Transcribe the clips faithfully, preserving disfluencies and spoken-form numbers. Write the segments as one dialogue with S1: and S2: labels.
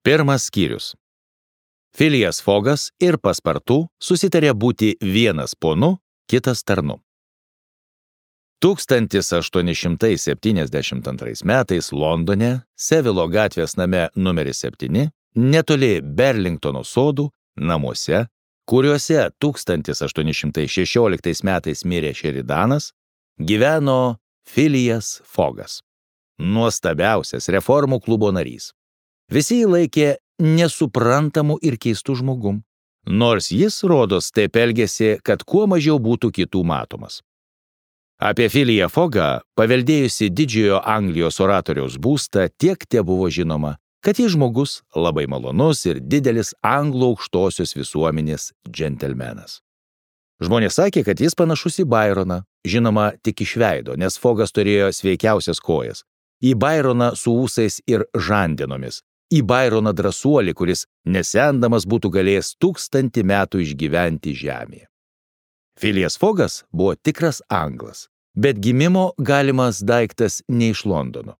S1: Pirmas skyrius. Phileas Foggas ir Paspartu susitarė būti vienas ponu, kitas tarnu. tūkstantis aštuoni šimtai septyniasdešimt antrais metais Londone, Sevilo gatvės name numeris septyni, netoli Burlingtono sodų, namuose, kuriuose tūkstantis aštuoni šimtai šešioliktais metais mirė Sheridanas, gyveno Phileas Foggas, nuostabiausias reformų klubo narys. Visi jį laikė nesuprantamu ir keistu žmogum, nors jis, rodos, taip elgėsi, kad kuo mažiau būtų kitų matomas. Apie Phileasą Foggą, paveldėjusi didžiojo Anglijos oratoriaus būstą, tiek tebuvo žinoma, kad jis žmogus labai malonus ir didelis anglų aukštosios visuomenės džentelmenas. Žmonės sakė, kad jis panašus į Byroną, žinoma tik iš veido, nes Foggas turėjo sveikiausias kojas, į Byroną su ūsais ir žandenomis, į Byroną drąsuolį, kuris nesendamas būtų galėjęs tūkstantį metų išgyventi žemėje. Phileas Foggas buvo tikras anglas, bet gimimo galimas daiktas ne iš Londono.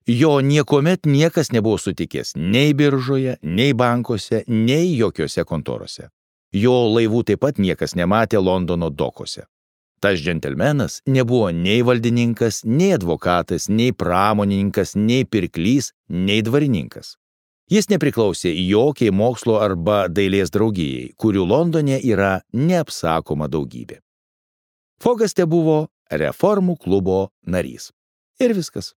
S1: Jo niekuomet niekas nebuvo sutikęs nei biržoje, nei bankuose, nei jokiose kontorose. Jo laivų taip pat niekas nematė Londono dokuose. Tas džentelmenas nebuvo nei valdininkas, nei advokatas, nei pramonininkas, nei pirklys, nei dvarininkas. Jis nepriklausė jokiai mokslo arba dailės draugijai, kurių Londone yra neapsakoma daugybė. Foggas tebuvo reformų klubo narys. Ir viskas.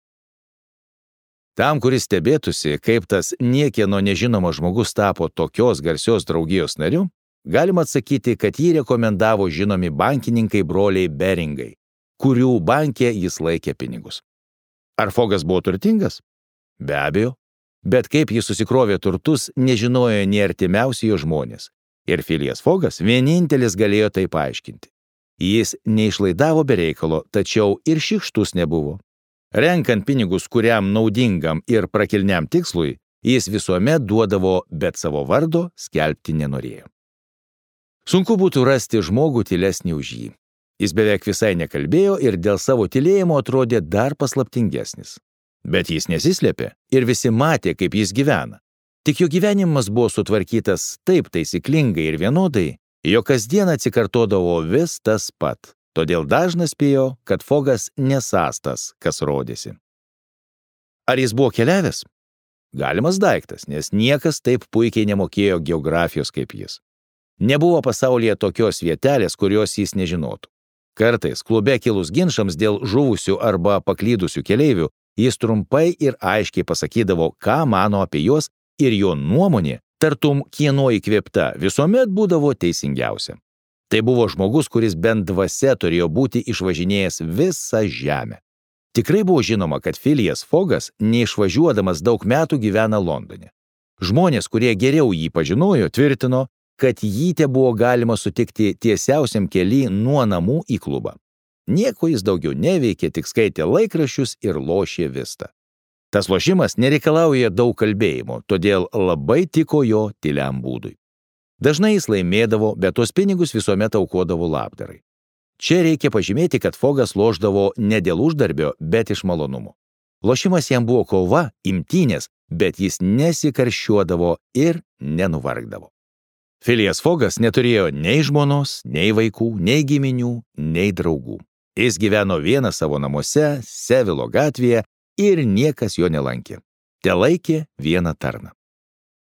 S1: Tam, kuris stebėtųsi, kaip tas niekieno nežinomas žmogus tapo tokios garsios draugijos nariu, galima atsakyti, kad jį rekomendavo žinomi bankininkai broliai Beringai, kurių banke jis laikė pinigus. Ar Foggas buvo turtingas? Be abejo. Bet kaip jis susikrovė turtus, nežinojo nei artimiausi jo žmonės. Ir Phileas Foggas vienintelis galėjo tai paaiškinti. Jis neišlaidavo be reikalo, tačiau ir šykštus nebuvo. Renkant pinigus kuriam naudingam ir prakilniam tikslui, jis visuomet duodavo, bet savo vardo skelbti nenorėjo. Sunku būtų rasti žmogų tylesnį už jį. Jis beveik visai nekalbėjo ir dėl savo tylėjimo atrodė dar paslaptingesnis. Bet jis nesislėpė ir visi matė, kaip jis gyvena. Tik jo gyvenimas buvo sutvarkytas taip taisyklingai ir vienodai, jo kasdien atsikartodavo vis tas pat. Todėl dažnas spėjo, kad Foggas nesąs tas, kas rodėsi. Ar jis buvo keliavęs? Galimas daiktas, nes niekas taip puikiai nemokėjo geografijos kaip jis. Nebuvo pasaulyje tokios vietelės, kurios jis nežinotų. Kartais klube kilus ginčams dėl žuvusių arba paklydusių keleivių, jis trumpai ir aiškiai pasakydavo, ką mano apie juos, ir jo nuomonė, tartum kieno įkvėpta, visuomet būdavo teisingiausia. Tai buvo žmogus, kuris bent dvasia turėjo būti išvažinėjęs visą žemę. Tikrai buvo žinoma, kad Phileas Foggas, neišvažiuodamas daug metų, gyvena Londone. Žmonės, kurie geriau jį pažinojo, tvirtino, kad jį te buvo galima sutikti tiesiausiam kely nuo namų į klubą. Nieko jis daugiau neveikė, tik skaitė laikraščius ir lošė vistą. Tas lošimas nereikalauja daug kalbėjimo, todėl labai tiko jo tyliam būdui. Dažnai jis laimėdavo, bet tos pinigus visuomet aukodavo labdarai. Čia reikia pažymėti, kad Foggas lošdavo ne dėl uždarbio, bet iš malonumo. Lošimas jam buvo kova, imtynės, bet jis nesikarščiuodavo ir nenuvargdavo. Phileas Foggas neturėjo nei žmonos, nei vaikų, nei giminių, nei draugų. Jis gyveno vienas savo namuose, Sevilo gatvėje ir niekas jo nelankė. Telaikė vieną tarną.